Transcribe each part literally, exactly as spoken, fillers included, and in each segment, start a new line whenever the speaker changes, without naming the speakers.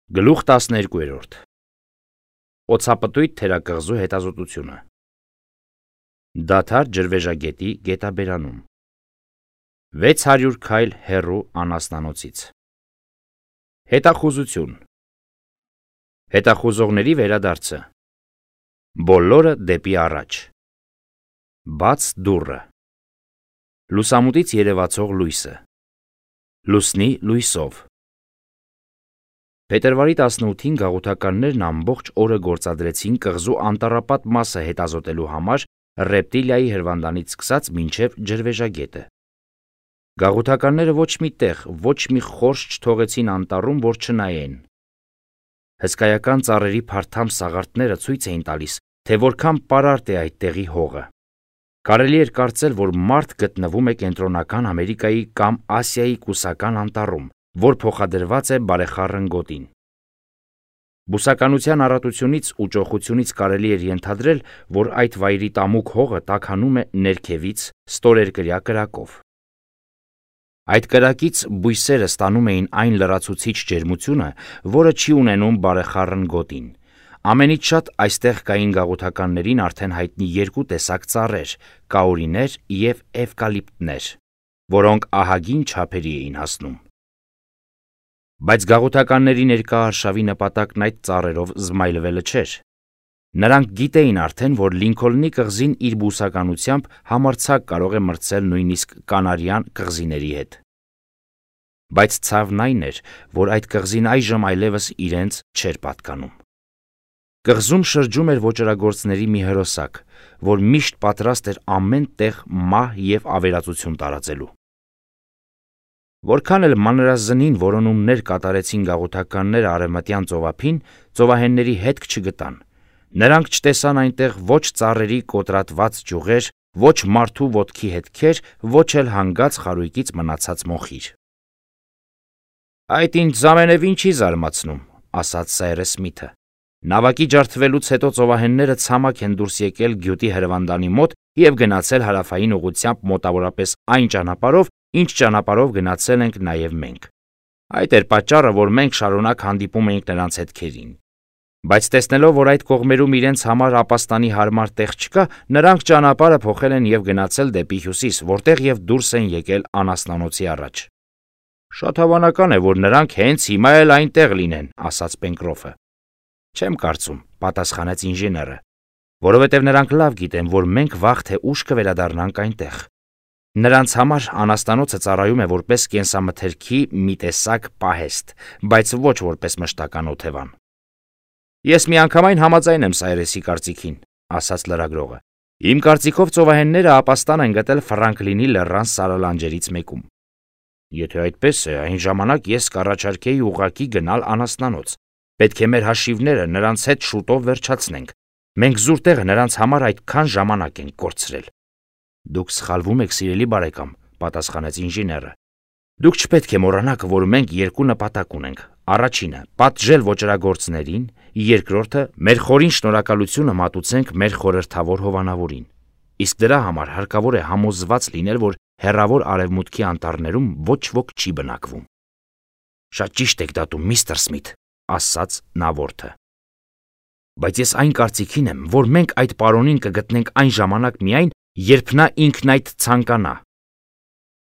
Գլուխ տասներկու. Օձապտույտ թերակղզու հետազոտությունը։ Դադար ջրվեժագետի գետաբերանում։ վեց հարյուր քայլ հեռու անասնանոցից։ Հետախուզություն։ Հետախուզողների վերադարձը։ Բոլորը դեպի առաջ։ Բաց դուռը։ Լուսամուտից երևացող լույսը։ Լուսնի լույսով։ Փետրվարի տասնութին գաղութականներն ամբողջ օրը գործադրեցին կղզու անտառապատ մասը հետազոտելու համար ռեպտիլիայի հրվանդանից սկսած մինչև ջրվեժագետը։ Գաղութականները ոչ մի տեղ, ոչ մի խորշ չթողեցին անտառում, որ չնայեն։ Հսկայական ծառերի փարթամ սաղարթները ցույց էին տալիս, թե որքան պարարտ է այդ տեղի հողը։ Կարելի էր կարծել, որ մարդ գտնվում է Կենտրոնական Ամերիկայի կամ Ասիայի կուսական անտառում, որ փոխադրված է բարեխառն գոտին։ Բուսականության առատությունից ու ճոխությունից կարելի էր ենթադրել, որ այդ վայրի տամուկ հողը տաքանում է ներքևից ստորերկրյա կրակով։ Այդ կրակից բույսերը ստանում էին այն լրացուցիչ ջերմությունը, որը չի ունենում բարեխառն գոտին։ Ամենից շատ այստեղ կային գաղութականներին արդեն հայտնի երկու տեսակ ծառեր՝ կաորիներ և էվկալիպտներ, որոնք ահագին չափերի էին հասնում։ Բայց գաղութականների ներկա արշավի նպատակն այդ ծառերով զմայլվելը չէր։ Նրանք գիտեին արդեն, որ Լինքոլնի կղզին իր բուսականությամբ համարձակ կարող է մրցել նույնիսկ կանարյան կղզիների հետ։ Բայց ցավն այն էր, որ այդ կղզին այժմ այլևս իրենց չէր պատկանում։ Կղզում շրջում էր ոճրագործների մի հրոսակ, որ միշտ պատրաստ էր ամեն տեղ մահ և ավերածություն տարածելու։ Որքան էլ մանրազնին որոնումներ կատարեցին գաղութականները արևմտյան ծովափին, ծովահենների հետք չգտան։ Նրանք չտեսան այնտեղ ոչ ծառերի կոտրատված ճյուղեր, ոչ մարդու ոտքի հետքեր, ոչ էլ հանգած խարույկից մնացած մոխիր։ «Այդ ինձ ամենևին չի զարմացնում», ասաց Սայրես Սմիթը։ Նավակի ջարդվելուց հետո ծովահենները ցամաք են դուրս եկել գյուտի հրվանդանի մոտ և գնացել հարավային ուղղությամբ մոտավորապես այն ճանապարհով, ինչ ճանապարհով գնացել ենք նաև մենք։ Այդ էր պատճառը, որ մենք շարունակ հանդիպում էինք նրանց հետքերին։ Բայց տեսնելով, որ այդ կողմերում իրենց համար ապաստանի հարմար տեղ չկա, նրանք ճանապարհը փոխել են և գնացել դեպի հյուսիս, որտեղ և դուրս են եկել անասնանոցի առաջ։ «Շատ հավանական է, որ նրանք հենց հիմա էլ այնտեղ լինեն», ասաց Պենկրոֆը։ «Չեմ կարծում», պատասխանեց ինժեները, «որովհետև նրանք լավ գիտեն, որ մենք վաղ թե ուշ կվերադառնանք այնտեղ։ Նրանց համար անասնանոցը ծառայում է որպես կենսամթերքի մի տեսակ պահեստ, բայց ոչ որպես մշտական օթևան»։ «Ես միանգամայն համաձայն եմ Սայրեսի կարծիքին», ասաց լրագրողը։ «Իմ կարծիքով ծովահենները ապաստան են գտել Ֆրանկլինի լեռան սարալանջերից մեկում։ Եթե այդպես է, այն ժամանակ ես կառաջարկեի ուղղակի գնալ անասնանոց։ Պետք է մեր հաշիվները նրանց հետ շուտով վերջացնենք։ Մենք զուր տեղը նրանց համար այդքան ժամանակ ենք կորցրել»։ «Դուք սխալվում եք, սիրելի բարեկամ», պատասխանեց ինժեները։ «Դուք չպետք է մոռանաք, որ մենք երկու նպատակ ունենք. առաջինը՝ պատժել ոճրագործներին, երկրորդը՝ մեր խորին շնորհակալությունը մատուցենք մեր խորհրդավոր հովանավորին։ Իսկ դրա համար հարկավոր է համոզված լինել, որ հեռավոր արևմուտքի անտառներում ոչ ոք չի բնակվում»։ «Շատ ճիշտ եք դատում, միստր Սմիթ», ասաց նավորդը։ «Բայց ես այն կարծիքին եմ, որ մենք այդ պարոնին կգտնենք այն ժամանակ միայն, երբ նա ինքն այդ ցանկանա»։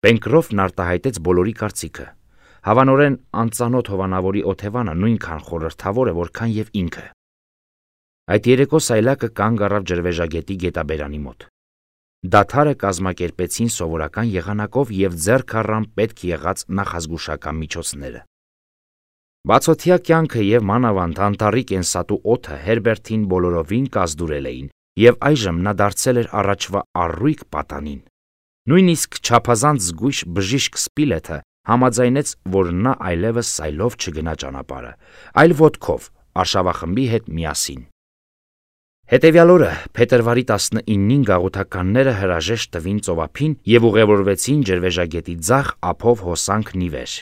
Պենկրոֆն արտահայտեց բոլորի կարծիքը։ Հավանորեն անծանոթ հովանավորի օթևանը նույնքան խորհրդավոր է, որքան և ինքը։ Այդ երեկո սայլակը կանգ առավ ջրվեժագետի գետաբերանի մոտ։ Դադարը կազմակերպեցին սովորական եղանակով և ձեռք առան պետք եղած նախազգուշական միջոցները։ Բացօթյա կյանքը և մանավանդ անտառի կենսատու օդը Հերբերտին բոլորովին կազդուրել էին, և այժմ նա դարձել էր առաջվա առույգ պատանին։ Նույնիսկ չափազանց զգույշ բժիշկ Սպիլեթը համաձայնեց, որ նա այլևս սայլով չգնա ճանապարհը, այլ ոտքով, արշավախմբի հետ միասին։ Հետևյալ օրը, փետրվարի տասնինին, գաղութականները հրաժեշտ տվին ծովափին և ուղևորվեցին ջրվեժագետի ձախ ափով հոսանքն ի վեր։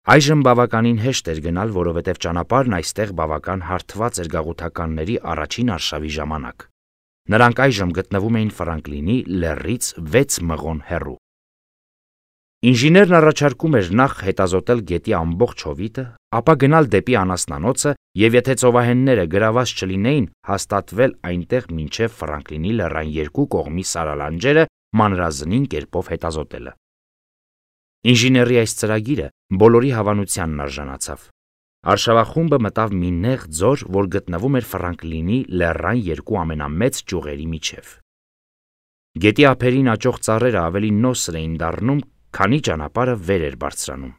Այժմ բավականին հեշտ էր գնալ, որովհետև ճանապարհն այստեղ բավական հարթված էր գաղութականների առաջին արշավի ժամանակ։ Նրանք այժմ գտնվում էին Ֆրանկլինի լեռից վեց մղոն հեռու։ Ինժեներն առաջարկում էր նախ հետազոտել գետի ամբողջ հովիտը, ապա գնալ դեպի անասնանոցը և եթե ծովահենները գրաված չլինեին, հաստատվել այնտեղ մինչև Ֆրանկլինի լեռան երկու կողմի սարալանջերը մանրազնին կերպով հետազոտելը։ Ինժեների այս ծրագիրը բոլորի հավանությանն արժանացավ։ Արշավախումբը մտավ մի նեղ ձոր, որ գտնվում էր Ֆրանկլինի լեռան երկու ամենամեծ ճյուղերի միջև։ Գետի ափերին աճող ծառերը ավելի նոսր էին դառնում, քանի ճանապարհը վեր էր բարձրանում։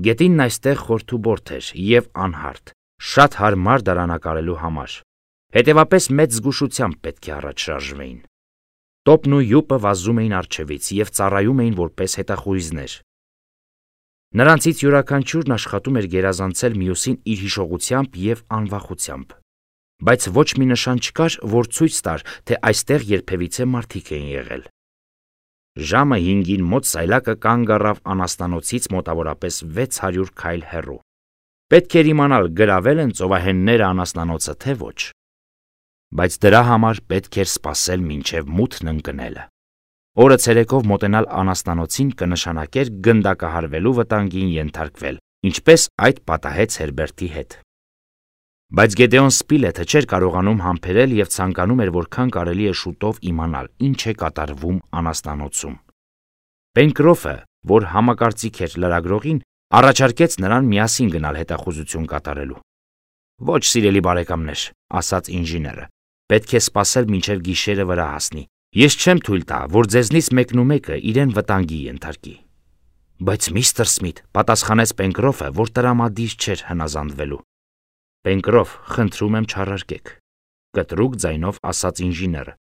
Գետինն այստեղ խորթուբորդ էր և անհարթ, շատ հարմար դարանակարելու համար, հետևապես մեծ զգուշությամբ պետք է առաջ շարժվեին։ Տոպն ու յուպը վազում էին առջևից և ծառայում էին որպես հետախույզներ։ Նրանցից յուրաքանչյուրն աշխատում էր գերազանցել մյուսին իր հիշողությամբ և անվախությամբ, բայց ոչ մի նշան չկար, որ ցույց տար, թե այստեղ երբևիցե մարդիկ էին եղել։ Ժամը հինգին մոտ սայլակը կանգ առավ անասնանոցից մոտավորապես վեց հարյուր քայլ հեռու։ Պետք էր իմանալ գրավել են ծովահենները անասնանոցը, թե ոչ։ Բայց դրա համար պետք էր սպասել մինչև մութն ընկնելը։ Օրը ցերեկով մոտենալ անասնանոցին կնշանակեր գնդակահարվելու վտանգին ենթարկվել, ինչպես այդ պատահեց Հերբերտի հետ։ Բայց Գեդեոն Սպիլեթը չէր կարողանում համբերել և ցանկանում էր որքան կարելի է շուտով իմանալ, ինչ է կատարվում անասնանոցում։ Պենկրոֆը, որ համակարծիք էր լրագրողին, առաջարկեց նրան միասին գնալ հետախուզություն կատարելու։ «Ոչ, սիրելի բարեկամներ», ասաց ինժեները, «պետք է սպասել մինչև գիշերը վրա հասնի։ Ես չեմ թույլ տա, որ ձեզնից մեկն ու մեկը իրեն վտանգի ենթարկի»։ «Բայց միստր Սմիթ», պատասխանեց Պենկրոֆը, որ տրամադիր չէր հնազանդվելու։ «Պենկրոֆ, խնդրում եմ չառարկեք», կտրուկ ձայնով ասաց ինժեները։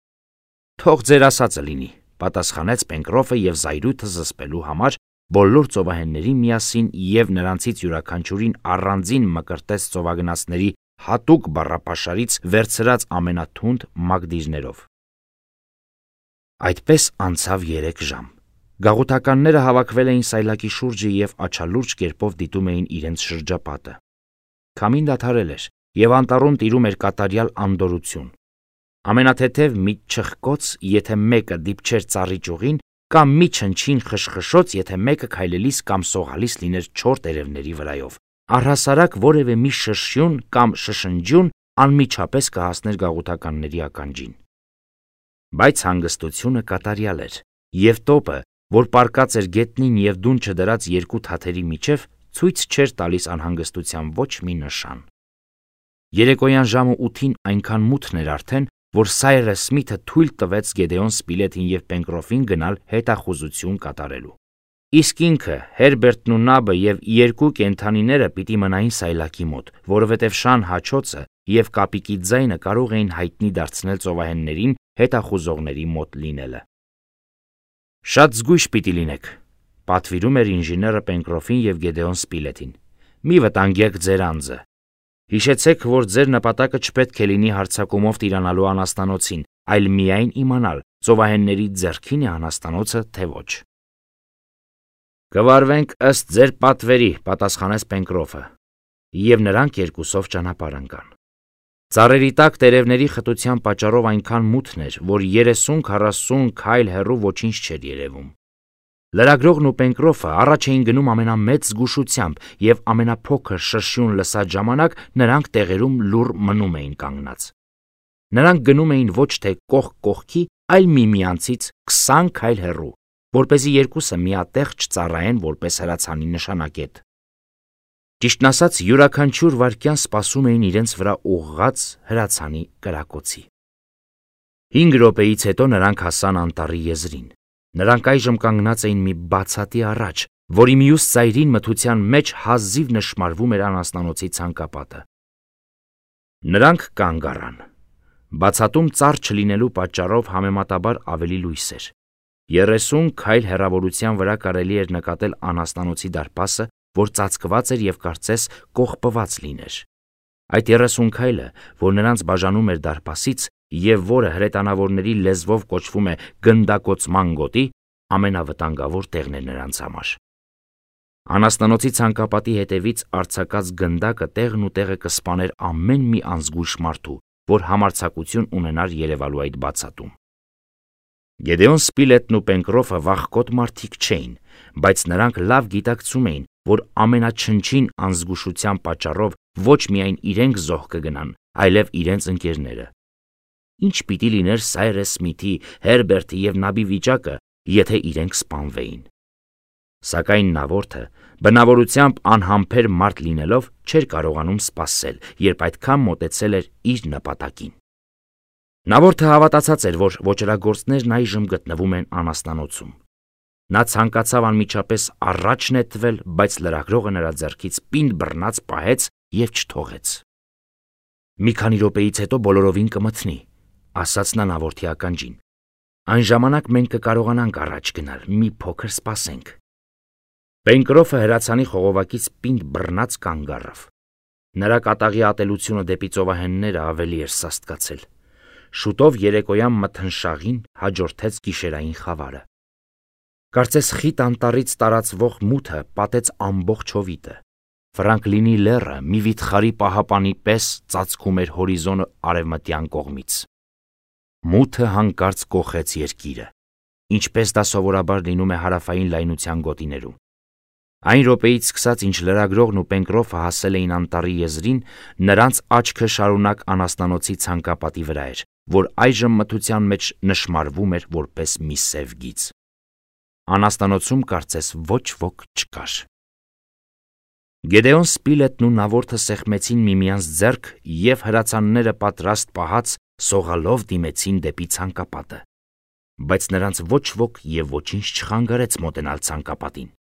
«Թող ձեր ասածը լինի», պատասխանեց Պենկրոֆը և զայրույթը զսպելու համար բոլոր ծովահեններին միասին և նրանցից յուրաքանչյուրին առանձին մկրտեց ծովագնացների հատուկ բառապաշարից վերցրած ամենաթունդ մակդիրներով։ Այդպես անցավ երեք ժամ։ Գաղութականները հավաքվել էին սայլակի շուրջը և աչալուրջ կերպով դիտում էին իրենց շրջապատը։ Քամին դադարել էր, և անտառում տիրում էր կատարյալ անդորրություն։ Ամենաթեթև մի չխկոց, եթե մեկը դիպչեր ծառի ճյուղին, կամ մի չնչին խշխշոց, եթե մեկը քայլելիս կամ սողալիս լիներ չոր տերևների վրայով, առհասարակ որևէ մի շշյուն կամ շշնջյուն անմիջապես կհասներ գաղութականների ականջին։ Բայց հանգստությունը կատարյալ էր, և տոպը, որ պառկած էր գետնին և դուն չդրած երկու թաթերի միջև, ցույց չէր տալիս անհանգստության ոչ մի նշան։ Երեկոյան ժամը ութին այնքան մութն էր արդեն, որ Սայրս Սմիթը թույլ տվեց Գեդեոն Սպիլեթին և Պենկրոֆին գնալ հետախուզություն կատարելու։ Իսկ ինքը, Հերբերտն ու Նաբը և երկու կենդանիները պիտի մնային սայլակի մոտ, որովհետև շան հաչոցը և կապիկի ձայնը կարող էին հայտնի դարձնել ծովահեններին հետախուզողների մոտ լինելը։ «Շատ զգույշ պիտի լինեք», պատվիրում էր ինժեները Պենկրոֆին և Գեդեոն Սպիլեթին։ «Մի վտանգեք ձեր անձը։ Հիշեցեք, որ ձեր նպատակը չպետք է լինի հարձակումով տիրանալու անասնանոցին, այլ միայն իմանալ, ծովահենների ձեռքին է անասնանոցը, թե ոչ»։ «Կվարվենք ըստ ձեր պատվերի», պատասխանեց Պենկրոֆը, և նրանք երկուսով ճանապարհ ընկան։ Ծառերի տակ տերևների խտության պատճառով այնքան մութն էր, որ երեսուն-քառասուն քայլ հեռու ոչինչ չէր երևում։ Լրագրողն ու Պենկրոֆը առաջ էին գնում ամենամեծ զգուշությամբ, և ամենափոքր շշյուն լսած ժամանակ նրանք տեղերում լուռ մնում էին կանգնած։ Նրանք գնում էին ոչ թե կողք կողքի, այլ միմյանցից քսան քայլ հեռու, որպեսզի երկուսը միատեղ չծառայեն որպես հրացանի նշանակետ։ Ճիշտն ասած, յուրաքանչյուր վայրկյան սպասում էին իրենց վրա ուղղած հրացանի կրակոցի։ Հինգ րոպեից հետո նրանք հասան անտառի եզրին։ Նրանք այժմ կանգնած էին մի բացատի առաջ, որի մյուս ծայրին մթության մեջ հազիվ նշմարվում էր անասնանոցի ցանկապատը։ Նրանք կանգ առան։ Բացատում ծառ չլինելու պատճառով համեմատաբար ավելի լույս էր։ Երեսուն քայլ հեռավորության վրա կարելի էր նկատել անասնանոցի դարպասը, որ ծածկված էր և կարծես կողպված լիներ։ Այդ երեսուն քայլը, որ նրանց բաժանում էր դարպասից և որը հրետանավորների լեզվով կոչվում է գնդակոծման գոտի, ամենավտանգավոր տեղն էր նրանց համար։ Անասնանոցի ցանկապատի հետևից արձակած գնդակը տեղն ու տեղը կսպաներ ամեն մի անզգույշ մարդու, որ համարձակություն ունենար երևալու այդ բացատում։ Գեդեոն Սպիլետն ու Պենկրոֆը վախկոտ մարդիկ չէին, բայց նրանք լավ գիտակցում էին, որ ամենաչնչին անզգուշության պատճառով ոչ միայն իրենք զոհ կգնան, այլև իրենց ընկերները։ Ինչ պիտի լիներ Սայրես Սմիթի, Հերբերտի և Նաբի վիճակը, եթե իրենք սպանվեին։ Սակայն նավորդը բնավորությամբ անհամբեր մարդ լինելով չէր կարողանում սպասել, երբ այդքան մոտեցել էր իր նպատակին։ Նավորդը հավատացած էր, որ ոճրագործներն այժմ գտնվում են անասնանոցում։ Նա ցանկացավ անմիջապես առաջ նետվել, բայց լրագրողը նրա ձեռքից պինդ բռնած պահեց և չթողեց։ «Մի քանի րոպեից հետո բոլորովին կմթնի», ասաց նա նավորդի ականջին։ «Այն ժամանակ մենք կկարողանանք առաջ գնալ, մի փոքր սպասենք»։ Պենկրոֆը հրացանի խողովակից պինդ բռնած կանգ առավ։ Նրա կատաղի ատելությունը դեպի ծովահենները ավելի էր սաստկացել։ Շուտով երեկոյան մթնշաղին հաջորդեց գիշերային խավարը։ Կարծես խիտ անտառից տարածվող մութը պատեց ամբողջ հովիտը։ Ֆրանկլինի լեռը մի վիթխարի պահապանի պես ծածկում էր հորիզոնը արևմտյան կողմից։ Մութը հանկարծ կոխեց երկիրը, ինչպես դա սովորաբար լինում է հարավային լայնության գոտիներում։ Այն րոպեից սկսած, ինչ լրագրողն ու Պենկրոֆը հասել էին անտառի եզրին, նրանց աչքը շարունակ անասնանոցի ցանկապատի վրա էր, որ այժմ մթության մեջ նշմարվում էր որպես մի սև գիծ։ Անասնանոցում կարծես ոչ ոք չկար։ Գեդեոն Սպիլետն ու նավորդը սեղմեցին միմյանց ձեռք և հրացանները պատրաստ պահած սողալով դիմեցին դեպի ցանկապատը։ Բայց նրանց ոչ ոք և ոչինչ չխանգարեց մոտենալ ցանկապատին։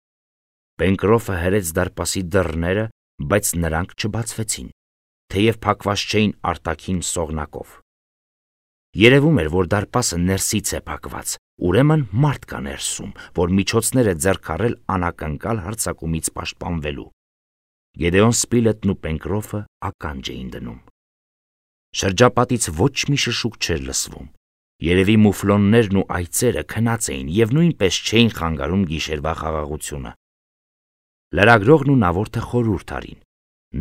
Պենկրոֆը հրեց դարպասի դռները, բայց նրանք չբացվեցին, թեև փակված չէին արտաքին սողնակով։ Երևում էր, որ դարպասը ներսից է փակված, ուրեմն մարդ կա ներսում, որ միջոցներ է ձեռք առել անակնկալ հարձակումից պաշտպանվելու։ Գեդեոն Սպիլետն ու Պենկրոֆը ականջ էին դնում։ Շրջապատից ոչ մի շշուկ չէր լսվում։ Երևի մուֆլոններն ու այծերը քնած էին և նույնպես չէին խանգարում գիշերվա խաղաղությունը։ Լրագրողն ու նավորդը խորհուրդ արին.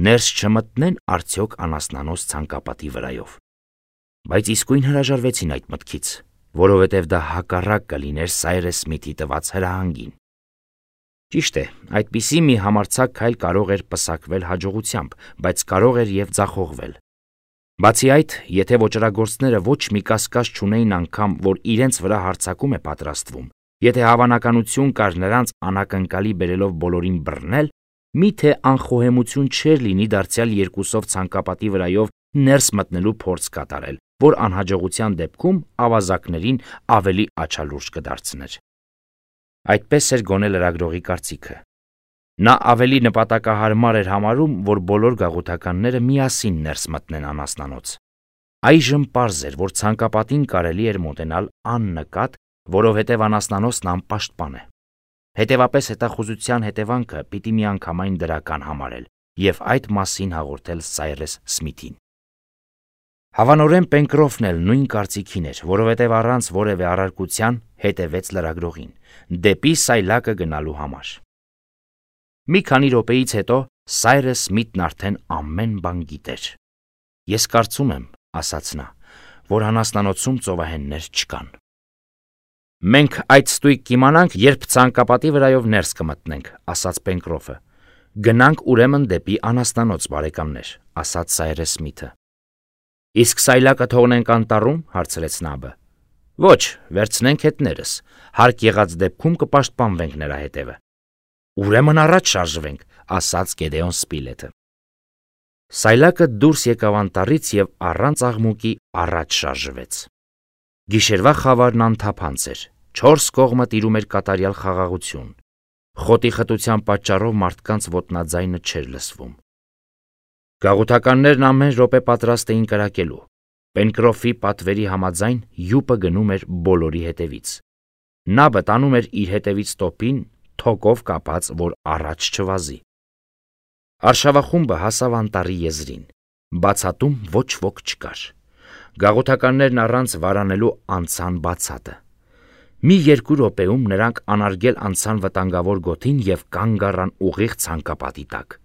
ներս չմտնեն արդյոք անասնանոց ցանկապատի վրայով։ Բայց իսկույն հրաժարվեցին այդ մտքից, որովհետև դա հակառակ կլիներ Սայրես Սմիթի տված հրահանգին։ Ճիշտ է, այդպիսի մի համարձակ քայլ կարող էր պսակվել հաջողությամբ, բայց կարող էր և ձախողվել։ Բացի այդ, եթե ոճրագործները ոչ մի կասկած չունեին անգամ, որ իրենց վրա հարձակում է պատրաստվում, եթե հավանականություն կար նրանց անակնկալի բերելով բոլորին բռնել, միթե անխոհեմություն չէր լինի դարձյալ երկուսով ցանկապատի վրայով ներս մտնելու փորձ կատարել, որ անհաջողության դեպքում ավազակներին ավելի աչալուրջ կդարձներ։ Այդպես էր գոնե լրագրողի կարծիքը։ Նա ավելի նպատակահարմար էր համարում, որ բոլոր գաղութականները միասին ներս մտնեն անասնանոց։ Այժմ պարզ էր, որ ցանկապատին կարելի էր մոտենալ աննկատ, որովհետև անասնանոցն անպաշտպան է։ Հետևապես հետախուզության հետևանքը պիտի միանգամայն դրական համարել և այդ մասին հաղորդել Սայրես Սմիթին։ Հավանորեն Պենկրոֆն էլ նույն կարծիքին էր, որովհետև առանց որևէ առարկության հետևեց լրագրողին, դեպի սայլակը գնալու համար։ Մի քանի րոպեից հետո Սայրես Սմիթն արդեն ամեն բան գիտեր։ «Ես կարծում եմ, — ասաց նա, — որ անասնանոցում ծովահեններ չկան»։ «Մենք այդ ստույգ կիմանանք, երբ ցանկապատի վրայով ներս կմտնենք», — ասաց Պենկրոֆը։ «Գնանք ուրեմն դեպի անասնանոց, բարեկամներ», — ասաց Սայրես Սմիթը։ «Իսկ սայլակը թողնենք անտառում», — հարցրեց Նաբը։ «Ոչ, վերցնենք հետներս, հարկ եղած դեպքում կպաշտպանվենք նրա հետևը»։ «Ուրեմն առաջ շարժվենք», — ասաց Գեդեոն Սպիլետը։ Սայլակը դուրս եկավ անտառից և առանց աղմուկի առաջ շարժվեց։ Գիշերվա խավարն անթափանց էր, չորս կողմը տիրում էր կատարյալ խաղաղություն։ Խոտի խտության պատճառով մարդկանց ոտնաձայնը չէր լսվում։ Գաղութականներն ամեն րոպե պատրաստ էին կրակելու։ Պենկրոֆի պատվերի համաձայն յուպը գնում էր բոլորի հետևից։ Նաբը տանում էր իր հետևից տոպին, թոկով կապած, որ առաջ չվազի։ Արշավախումբը հասավ անտառի եզրին։ Բացատում ոչ ոք չկար։ Գաղութականներն առանց վարանելու անցան բացատը։ Մի երկու րոպեում նրանք անարգել անցան վտանգավոր գոտին և կանգ առան ուղիղ ցանկապատի տակ։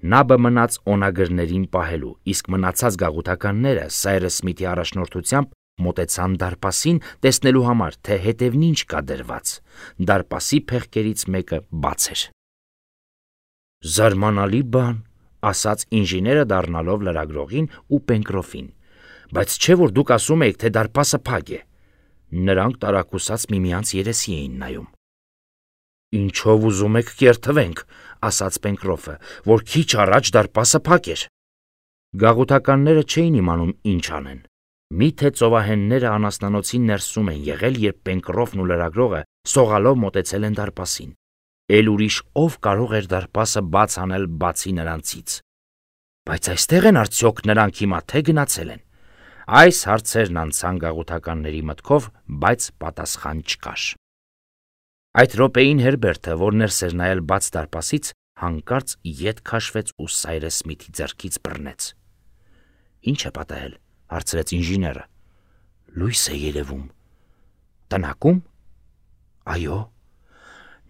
Նաբը մնաց օնագրներին պահելու, իսկ մնացած գաղութականները Սայրես Սմիթի առաջնորդությամբ Մոտեցան դարպասին, տեսնելու համար, թե հետևն ինչ կա դրված։ Դարպասի փեղկերից մեկը բաց էր։ «Զարմանալի բան», ասաց ինժեները դառնալով լրագրողին ու Պենկրոֆին, բայց չէ՞ որ դուք ասում եք, թե դարպասը փակ է։ Նրանք տարակուսած միմյանց երեսի էին նայում։ «Ինչով ուզում եք կերթվենք», ասաց Պենկրոֆը, որ քիչ առաջ դարպասը փակ էր։ Գաղութականները չէին իմանում ինչ անեն։ Միթե ծովահենները անասնանոցի ներսում են եղել, երբ Պենկրոֆն ու լրագրողը սողալով մոտեցել են դարպասին։ Էլ ուրիշ ով կարող էր դարպասը բաց անել բացի նրանցից։ Բայց այստեղ են արդյոք նրանք հիմա թե գնացել են։ Այս հարցերն անցան գաղութականների մտքով, բայց պատասխան չկար։ Այդ րոպեին Հերբերտը, որ ներս էր նայել բաց դարպասից, հանկարծ ետ քաշվեց ու Սայրես Սմիթի ձեռքից բռնեց։ «Ինչ է պատահել», հարցրեց ինժեները։ «Լույս է երևում»։ «Տնակում»։ «Այո»։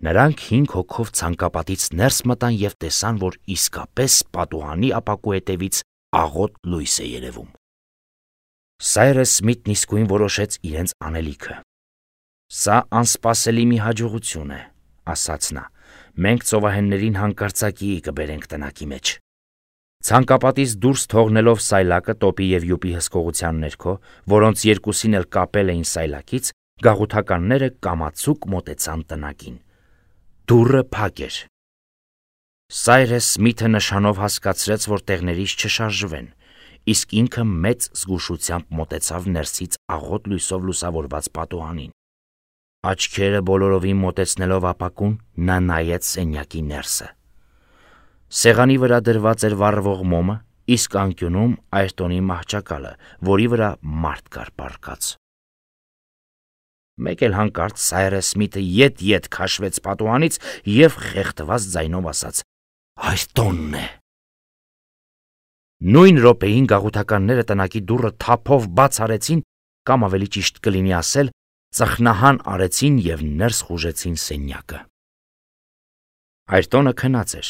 Նրանք հինգ հոգով ցանկապատից ներս մտան և տեսան, որ իսկապես պատուհանի ապակու հետևից աղոտ լույս է երևում։ Սայրես Սմիթն իսկույն որոշեց իրենց անելիքը։ «Սա անսպասելի մի հաջողություն է», ասաց նա։ «Մենք ծովահեններին հանկարծակիի կբերենք տնակի մեջ»։ Ցանկապատից դուրս թողնելով սայլակը տոպի և յուպի հսկողության ներքո, որոնց երկուսին էլ կապել էին սայլակից, գաղութականները կամացուկ մոտեցան տնակին։ Դուռը փակ էր։ Սայրես Սմիթը նշանով հասկացրեց, որ տեղներից չշարժվեն, իսկ ինքը մեծ զգուշությամբ մոտեցավ ներսից աղոտ լույսով լուսավորված պատուհանին։ Աչքերը բոլորովին մոտեցնելով ապակուն, նա նայեց սենյակի ներսը։ Սեղանի վրա դրված էր վառվող մոմը, իսկ անկյունում Այրտոնի մահճակալը, որի վրա մարդ կար պառկած։ Մեկ էլ հանկարծ Սայրես Սմիթը ետ-ետ քաշվեց պատուհանից և խեղդված ձայնով ասաց. «Այրտոնն է»։ Նույն րոպեին գաղութականները տնակի դուռը թափով բաց արեցին, կամ ավելի ճիշտ կլինի ասել, ծխնահան արեցին և ներս խուժեցին սենյակը։ Այրտոնը քնած էր։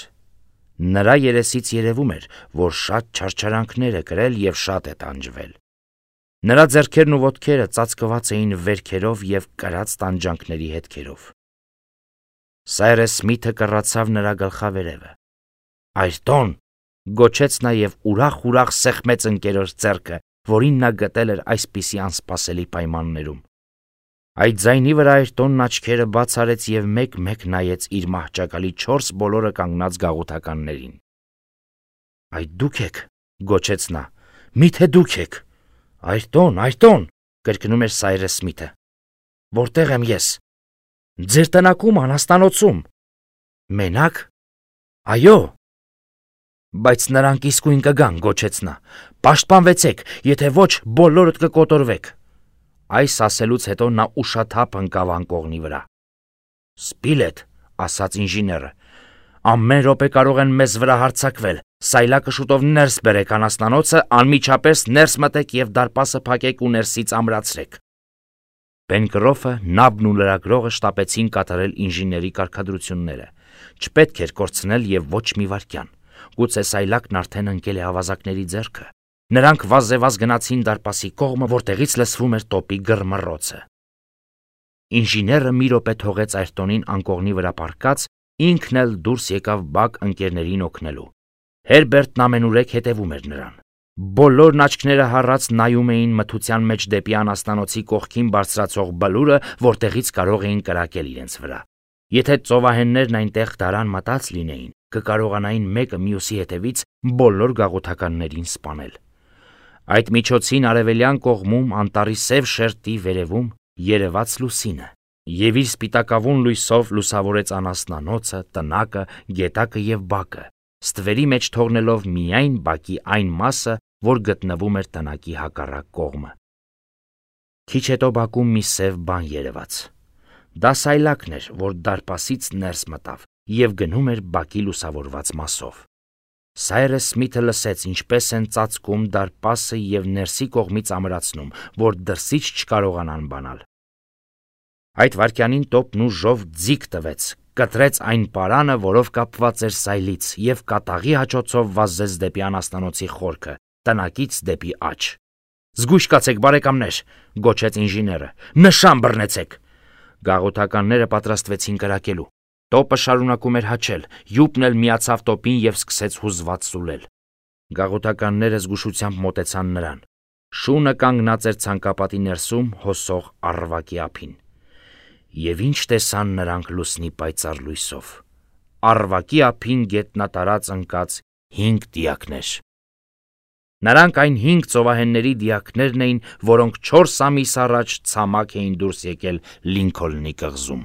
Նրա երեսից երևում էր, որ շատ չարչարանքներ է կրել և շատ է տանջվել։ Նրա ձեռքերն ու ոտքերը ծածկված էին վերքերով և կրած տանջանքների հետքերով։ Սայրես Սմիթը կռացավ նրա գլխավերևը։ «Այրտոն», գոչեց նա և ուրախ-ուրախ սեղմեց ընկերոջ ձեռքը, որին նա գտել էր այսպիսի անսպասելի պայմաններում։ Այդ ձայնի վրա Այրտոնն աչքերը բաց արեց և մեկ-մեկ նայեց իր մահճակալի չորս բոլորը կանգնած գաղութականներին։ «Այդ դուք եք», գոչեց նա, «միթե դուք եք»։ «Այրտոն, Այրտոն», կրկնում էր Սայրես Սմիթը։ «Որտեղ եմ ես»։ «Ձեր տնակում, անասնանոցում»։ «Մենակ»։ «Այո»։ «Բայց նրանք իսկույն կգան», գոչեց նա։ «Պաշտպանվեցեք, եթե ոչ, բոլորդ կկոտորվեք»։ Այս ասելուց հետո նա ուշաթափ ընկավ անկողնի վրա։ «Սպիլետ», ասաց ինժեները, «ամեն րոպե կարող են մեզ վրա հարձակվել։ Սայլակը շուտով ներս բերեք անասնանոցը, անմիջապես ներս մտեք և դարպասը փակեք ու ներսից ամրացրեք»։ Պենկրոֆը, նաբն ու լրագրողը շտապեցին կատարել ինժեների կարգադրությունները։ Չպետք էր կորցնել և ոչ մի վայրկյան։ Գուցե սայլակն արդեն ընկել է ավազակների ձեռքը։ Նրանք վազեվազ գնացին դարպասի կողմը, որտեղից լսվում էր տոպի գռմռոցը։ Ինժեները մի րոպե թողեց Այրտոնին անկողնի վրա պառկած, ինքն էլ դուրս եկավ բակ ընկերներին օգնելու։ Հերբերտն ամենուրեք հետևում էր նրան։ Բոլորն աչքները հառած նայում էին մթության մեջ դեպի անասնանոցի կողքին բարձրացող բլուրը, որտեղից կարող էին կրակել իրենց վրա։ Եթե ծովահեններն այնտեղ դարան մտած լինեին, կկարողանային մեկը մյուսի հետևից բոլոր գաղութականներին սպանել։ Այդ միջոցին արևելյան կողմում անտառի սև շերտի վերևում երևաց լուսինը և իր սպիտակավուն լույսով լուսավորեց անասնանոցը, տնակը, գետակը և բակը, ստվերի մեջ թողնելով միայն բակի այն մասը, որ գտնվում էր տնակի հակառակ կողմը։ Քիչ հետո բակում մի սև բան երևաց։ Դա սայլակն էր, որ դարպասից ներս մտավ և գնում էր բակի լուսավորված մասով։ Սայրես Սմիթը լսեց, ինչպես են ծածկում դարպասը և ներսի կողմից ամրացնում, որ դրսից չկարողանան բանալ։ Այդ վայրկյանին տոպն ուժով ձիգ տվեց, կտրեց այն պարանը, որով կապված էր սայլից, և կատաղի հաչոցով վազեց դեպի անասնանոցի խորքը, տնակից դեպի աջ։ Զգույշ կացեք, բարեկամներ, գոչեց ինժեները, նշան բռնեցեք։ Գաղութականները պատրաստվեցին կրակելու։ Տոպը շարունակում էր հաչել, յուպն էլ միացավ տոպին և սկսեց հուզված սուլել։ Գաղութականները զգուշությամբ մոտեցան նրան։ Շունը կանգնած էր ցանկապատի ներսում հոսող առվակի ափին։ Եվ ինչ տեսան նրանք լուսնի պայծառ լույսով։ Առվակի ափին գետնատարած ընկած հինգ դիակներ։ Նրանք այն հինգ ծովահենների դիակներն էին, որոնք չորս ամիս առաջ ցամաք էին դուրս եկել Լինքոլնի կղզում։